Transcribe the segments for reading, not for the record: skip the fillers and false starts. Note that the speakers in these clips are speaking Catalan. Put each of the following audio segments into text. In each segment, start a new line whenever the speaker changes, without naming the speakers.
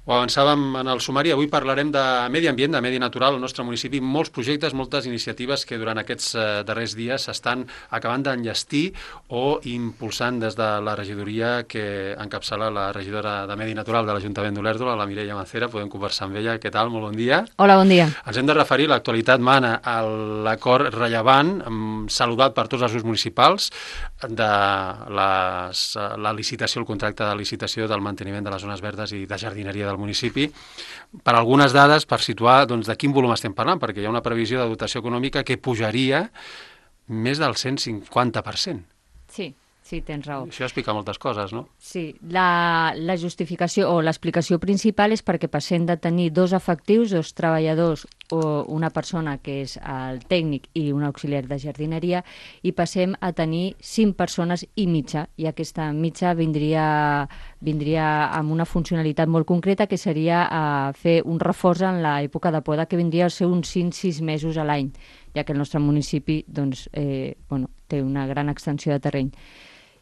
Ho avançàvem en el sumari, avui parlarem de medi ambient, de medi natural al nostre municipi, molts projectes, moltes iniciatives que durant aquests darrers dies s'estan acabant d'enllestir o impulsant des de la regidoria que encapçala la regidora de Medi Natural de l'Ajuntament d'Olèrdola, la Mireia Macera. Podem conversar amb ella. Què tal? Molt bon dia.
Hola, bon dia.
Ens hem de referir, l'actualitat mana, a l'acord rellevant, saludat per tots els grups municipals, de la licitació, el contracte de licitació del manteniment de les zones verdes i de jardineria del municipi. Per algunes dades, per situar de quin volum estem parlant, perquè hi ha una previsió de dotació econòmica que pujaria més del 150%.
Sí, tens raó.
Això explica moltes coses, no?
Sí, la justificació o l'explicació principal és perquè passem de tenir 2 efectius, 2 treballadors o una persona que és el tècnic i un auxiliar de jardineria, i passem a tenir 5 persones i mitja, i aquesta mitja vindria amb una funcionalitat molt concreta, que seria fer un reforç en l'època de poda, que vindria a ser uns 5-6 mesos a l'any, ja que el nostre municipi té una gran extensió de terreny.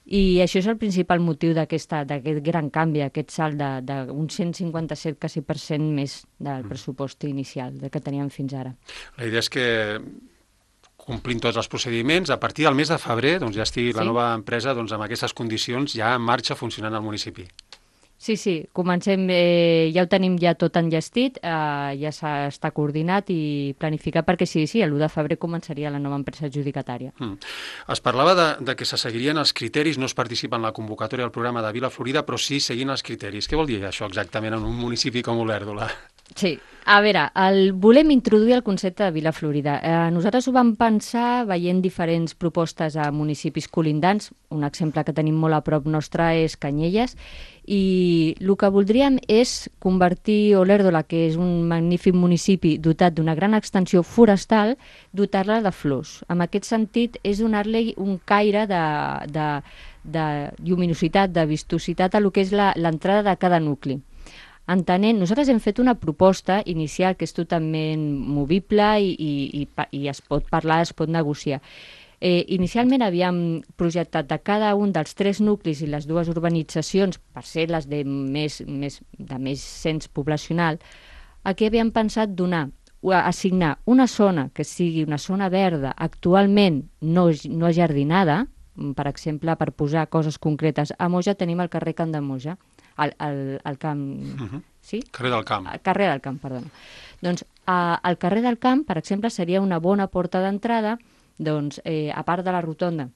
I això és el principal motiu d'aquest gran canvi, aquest salt d'un 157% quasi més del pressupost inicial que teníem fins ara.
La idea és que, complint tots els procediments, a partir del mes de febrer ja estigui la nova empresa amb aquestes condicions ja en marxa funcionant al municipi.
Sí, comencem, ja ho tenim ja tot enllestit, ja està coordinat i planificat perquè sí, l'1 de febrer començaria la nova empresa adjudicatària.
Es parlava de que se seguirien els criteris, no es participa en la convocatòria del programa de Vila Florida, però sí seguint els criteris. Què vol dir això exactament en un municipi com Olèrdola?
Sí, a veure, volem introduir el concepte de Vila Florida. Nosaltres ho vam pensar veient diferents propostes a municipis colindants. Un exemple que tenim molt a prop nostre és Canyelles, i el que voldríem és convertir Olèrdola, que és un magnífic municipi dotat d'una gran extensió forestal, dotar-la de flors. En aquest sentit, és donar-li un caire de lluminositat, de vistositat a lo que és l'entrada de cada nucli. Nosaltres hem fet una proposta inicial que és totalment movible i es pot parlar, es pot negociar. Inicialment havíem projectat de cada un dels 3 nuclis i les 2 urbanitzacions, per ser les de més cens poblacional, aquí havíem pensat assignar una zona que sigui una zona verda actualment no ajardinada, per exemple, per posar coses concretes. A Moja tenim el carrer Camp de Moja, al camp... Sí?
Carrer del Camp.
Carrer del Camp, perdona. Doncs el carrer del Camp, per exemple, seria una bona porta d'entrada, a part de la rotonda,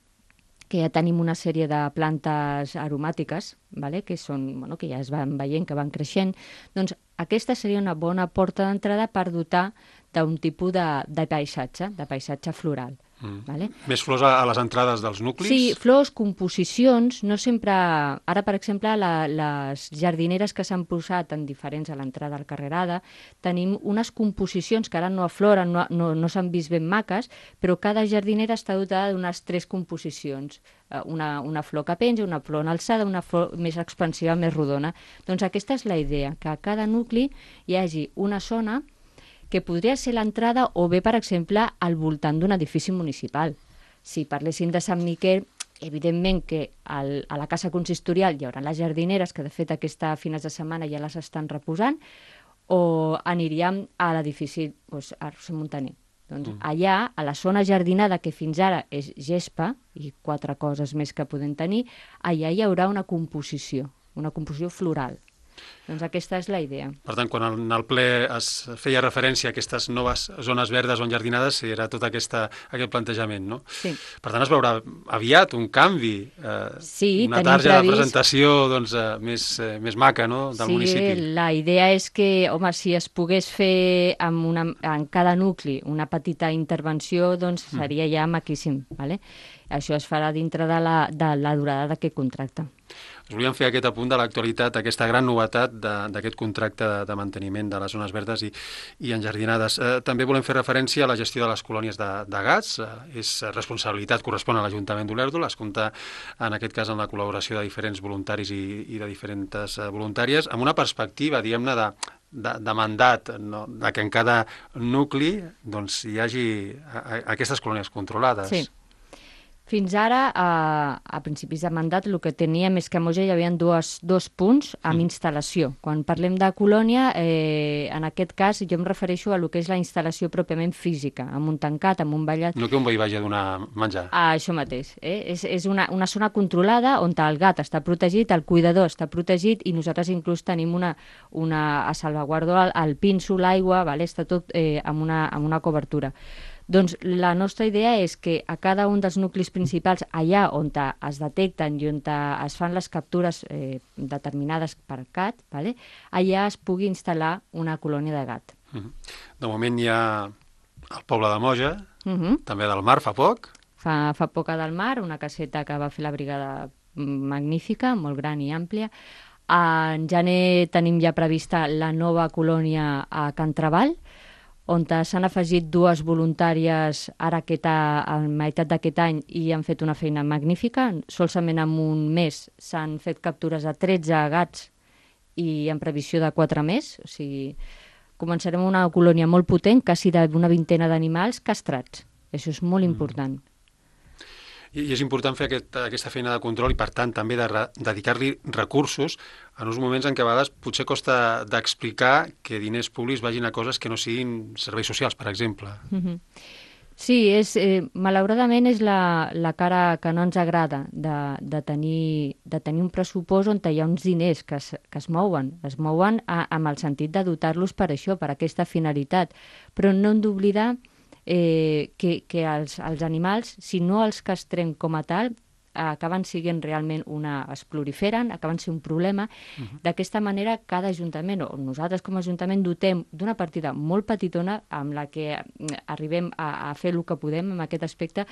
que ja tenim una sèrie de plantes aromàtiques, que ja es van veient, que van creixent, doncs aquesta seria una bona porta d'entrada per dotar d'un tipus de paisatge floral.
Més flors a les entrades dels nuclis?
Sí, flors, composicions, no sempre... Ara, per exemple, les jardineres que s'han posat en diferents a l'entrada al Carrerada, tenim unes composicions que ara no afloren, no s'han vist ben maques, però cada jardinera està dotada d'unes 3 composicions. Una flor que penja, una flor en alçada, una flor més expansiva, més rodona. Doncs aquesta és la idea, que a cada nucli hi hagi una zona que podria ser l'entrada o bé, per exemple, al voltant d'un edifici municipal. Si parléssim de Sant Miquel, evidentment que a la casa consistorial hi haurà les jardineres, que de fet aquesta fines de setmana ja les estan reposant, o aniríem a l'edifici Arc Montaner. Doncs allà, a la zona jardinada, que fins ara és gespa, i 4 coses més que podem tenir, allà hi haurà una composició floral. Doncs aquesta és la idea.
Per tant, quan en el ple es feia referència a aquestes noves zones verdes o enjardinades, era tot aquest plantejament, no?
Sí.
Per tant, es veurà aviat un canvi, una targeta de presentació més maca, no?, del municipi.
Sí, la idea és que, si es pogués fer en cada nucli una petita intervenció, doncs seria ja maquíssim, ¿vale? Això es farà dintre de la durada d'aquest contracte.
Us volíem fer aquest apunt de l'actualitat, aquesta gran novetat d'aquest contracte de manteniment de les zones verdes i enjardinades. També volem fer referència a la gestió de les colònies de gats. És responsabilitat, correspon a l'Ajuntament d'Olèrdola. Es compta, en aquest cas, amb la col·laboració de diferents voluntaris i de diferents voluntàries, amb una perspectiva, diguem-ne, de mandat, no? De que en cada nucli hi hagi aquestes colònies controlades.
Sí. Fins ara, a principis de mandat, el que teníem és que a Moja hi havia dos punts amb instal·lació. Quan parlem de colònia, en aquest cas jo em refereixo a el que és la instal·lació pròpiament física, amb un tancat, amb un ballat.
No que un veí vagi a donar menjar.
Això mateix. És una zona controlada on el gat està protegit, el cuidador està protegit i nosaltres inclús tenim a salvaguardo el pinso, l'aigua, està tot amb una cobertura. Doncs la nostra idea és que a cada un dels nuclis principals, allà on es detecten i on es fan les captures determinades per gat, allà es pugui instal·lar una colònia de gat.
De moment hi ha el poble de Moja, també del Mar fa poc.
Fa poc a del Mar, una caseta que va fer la brigada magnífica, molt gran i àmplia. En gener tenim ja prevista la nova colònia a Can Trabal, on s'han afegit 2 voluntàries ara a meitat d'aquest any i han fet una feina magnífica. Solament en un mes s'han fet captures de 13 gats i en previsió de 4 més. O sigui, començarem una colònia molt potent, quasi d'una vintena d'animals castrats. Això és molt important.
I és important fer aquesta feina de control i, per tant, també de dedicar-li recursos en uns moments en què a vegades potser costa d'explicar que diners públics vagin a coses que no siguin serveis socials, per exemple.
Sí, malauradament és la cara que no ens agrada de tenir un pressupost on hi ha uns diners que es mouen. Es mouen amb el sentit de dotar-los per això, per aquesta finalitat. Però no hem d'oblidar que els animals, si no els castrem com a tal, acaben sent realment es proliferen, acaben sent un problema. D'aquesta manera, cada ajuntament, o nosaltres com a ajuntament, dotem d'una partida molt petitona amb la que arribem a fer el que podem en aquest aspecte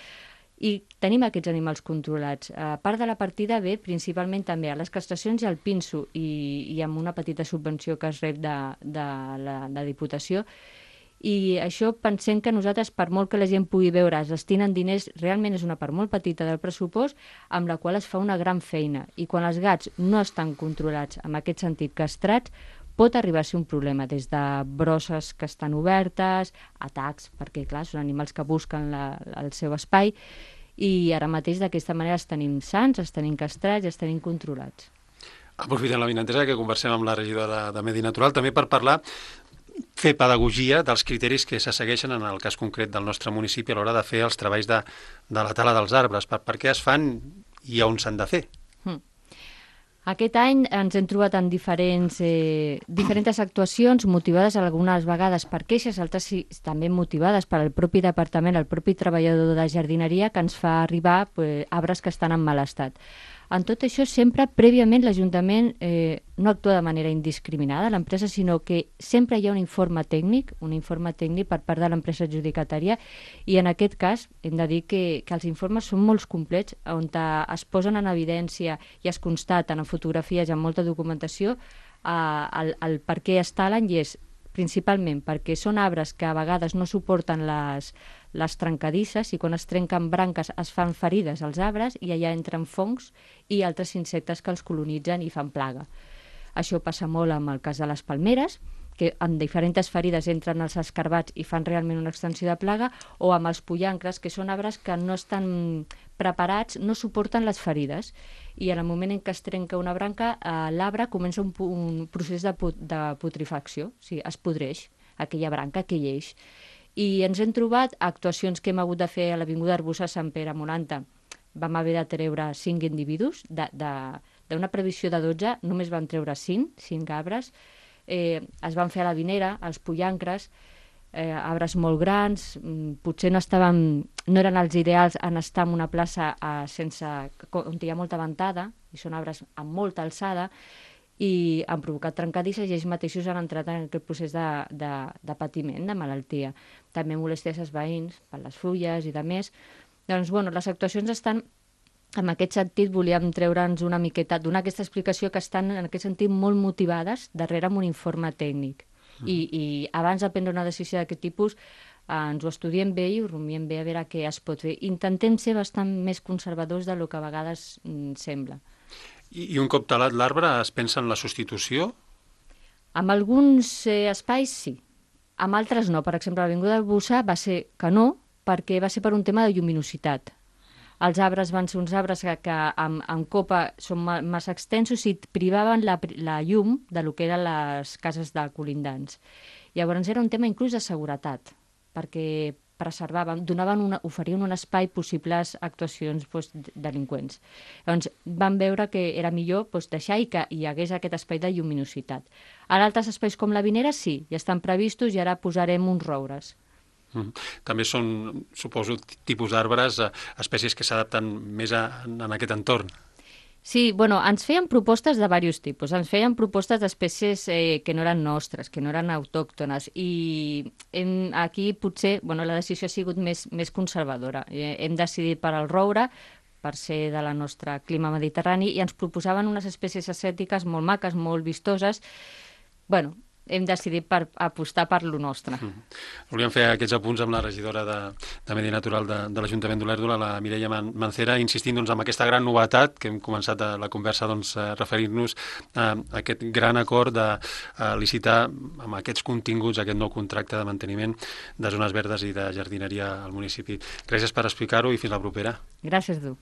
i tenim aquests animals controlats. A part de la partida ve principalment també a les castracions i al pinso i amb una petita subvenció que es rep de la Diputació. I això pensem que nosaltres, per molt que la gent pugui veure, es destinen diners, realment és una part molt petita del pressupost, amb la qual es fa una gran feina. I quan els gats no estan controlats, en aquest sentit castrats, pot arribar a ser un problema, des de brosses que estan obertes, atacs, perquè clar, són animals que busquen el seu espai, i ara mateix d'aquesta manera els tenim sans, els tenim castrats i els tenim controlats.
Aprofitant la vinentesa que conversem amb la regidora de Medi Natural, també per fer pedagogia dels criteris que se segueixen en el cas concret del nostre municipi a l'hora de fer els treballs de la tala dels arbres. Per què es fan i on s'han de fer?
Aquest any ens hem trobat en diferents actuacions motivades algunes vegades per queixes, altres també motivades pel propi departament, el propi treballador de jardineria que ens fa arribar arbres que estan en mal estat. En tot això, sempre, prèviament, l'Ajuntament no actua de manera indiscriminada, l'empresa, sinó que sempre hi ha un informe tècnic per part de l'empresa adjudicatària, i en aquest cas hem de dir que els informes són molt complets, on es posen en evidència i es constaten en fotografies i en molta documentació el per què es talen, i és principalment perquè són arbres que a vegades no suporten les trencadisses, i quan es trenquen branques es fan ferides als arbres i allà entren fongs i altres insectes que els colonitzen i fan plaga. Això passa molt amb el cas de les palmeres, que en diferents ferides entren els escarbats i fan realment una extensió de plaga, o amb els pollancres, que són arbres que no estan preparats, no suporten les ferides, i en el moment en què es trenca una branca, l'arbre comença un procés de putrefacció, o sigui, es podreix aquella branca, aquell eix. I ens hem trobat actuacions que hem hagut de fer a l'Avinguda Arbussa Sant Pere Moranta. Vam haver de treure 5 individus, d'una previsió de 12, només van treure 5 arbres. Es van fer a la Vinera, els pollancres, arbres molt grans, potser no eren els ideals en estar en una plaça on hi ha molta ventada, i són arbres amb molta alçada, i han provocat trencadisses i ells mateixos han entrat en aquest procés de patiment, de malaltia. També molèsties als veïns per les fulles i de més. Doncs, les actuacions estan, en aquest sentit, volíem treure'ns una miqueta, donar aquesta explicació, que estan, en aquest sentit, molt motivades darrere amb un informe tècnic. I abans de prendre una decisió d'aquest tipus, ens ho estudiem bé i ho rumiem bé a veure què es pot fer. Intentem ser bastant més conservadors del que a vegades sembla.
I un cop talat l'arbre es pensa en la substitució?
En alguns espais sí, en altres no. Per exemple, a l'Avinguda Arbussa va ser que no, perquè va ser per un tema de lluminositat. els arbres van ser uns arbres que en copa són massa extensos i privaven la llum de lo que eren les cases de colindants. Llavors era un tema inclús de seguretat, perquè preservaven, oferien un espai possibles actuacions delinqüents. Llavors van veure que era millor deixar i que hi hagués aquest espai de lluminositat. Ara altres espais com la Vinera sí, ja estan previstos i ara posarem uns roures.
També són, suposo, tipus d'arbres, espècies que s'adapten més en aquest entorn.
Sí, ens feien propostes de diversos tipus. Ens feien propostes d'espècies que no eren nostres, que no eren autòctones. I aquí potser la decisió ha sigut més conservadora. Hem decidit per al roure, per ser de la nostra clima mediterrani, i ens proposaven unes espècies ascètiques molt maques, molt vistoses. Hem decidit apostar per lo nostre.
Volíem fer aquests apunts amb la regidora de Medi Natural de l'Ajuntament d'Olèrdola, la Mireia Mancera, insistint en aquesta gran novetat que hem començat la conversa referint-nos a aquest gran acord de licitar amb aquests continguts aquest nou contracte de manteniment de zones verdes i de jardineria al municipi. Gràcies per explicar-ho i fins la propera.
Gràcies, tu.